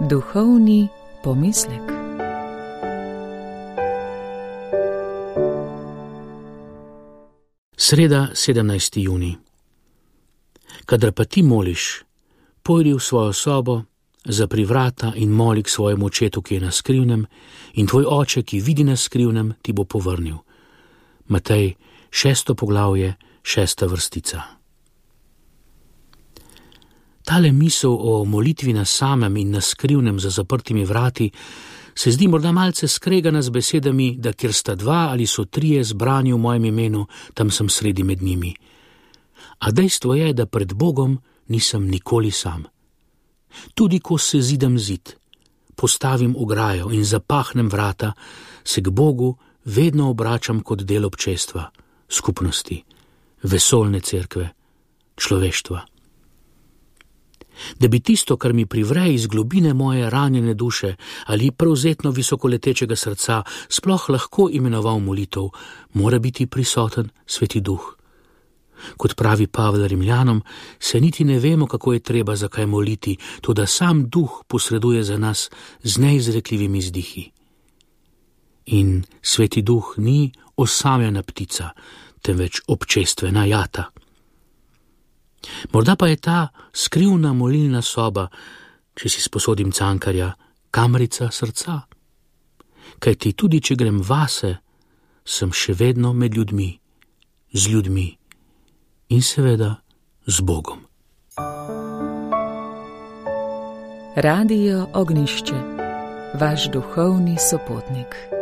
Duhovni pomislek. Sreda, 17. junij. Kadar pa ti moliš, pojdi v svojo sobo, zapri vrata in moli k svojemu očetu, ki je na skrivnem, in tvoj oče, ki vidi na skrivnem, ti bo povrnil. Matej, 6. poglavje, 6. vrstica. Tale misel o molitvi na samem in na skrivnem za zaprtimi vrati se zdi morda malce skregana z besedami, da kjer sta dva ali so trije zbrani v mojem imenu, tam sem sredi med njimi. A dejstvo je, da pred Bogom nisem nikoli sam. Tudi ko se zidam zid, postavim ograjo in zapahnem vrata, se k Bogu vedno obračam kot del občestva, skupnosti, vesoljne cerkve, človeštva. Da bi tisto, kar mi privre iz globine moje ranjene duše ali prevzetno visokoletečega srca, sploh lahko imenoval molitev, mora biti prisoten Sveti Duh. Kot pravi Pavel Rimljanom, se niti ne vemo, kako je treba zakaj moliti, toda sam Duh posreduje za nas z neizrekljivimi vzdihi. In Sveti Duh ni osamljena ptica, temveč občestvena jata. Morda pa je ta skrivna molilna soba, če si sposodim Cankarja, kamrica srca. Kajti tudi, če grem vase, sem še vedno med ljudmi, z ljudmi in seveda z Bogom. Radio Ognjišče, vaš duhovni sopotnik.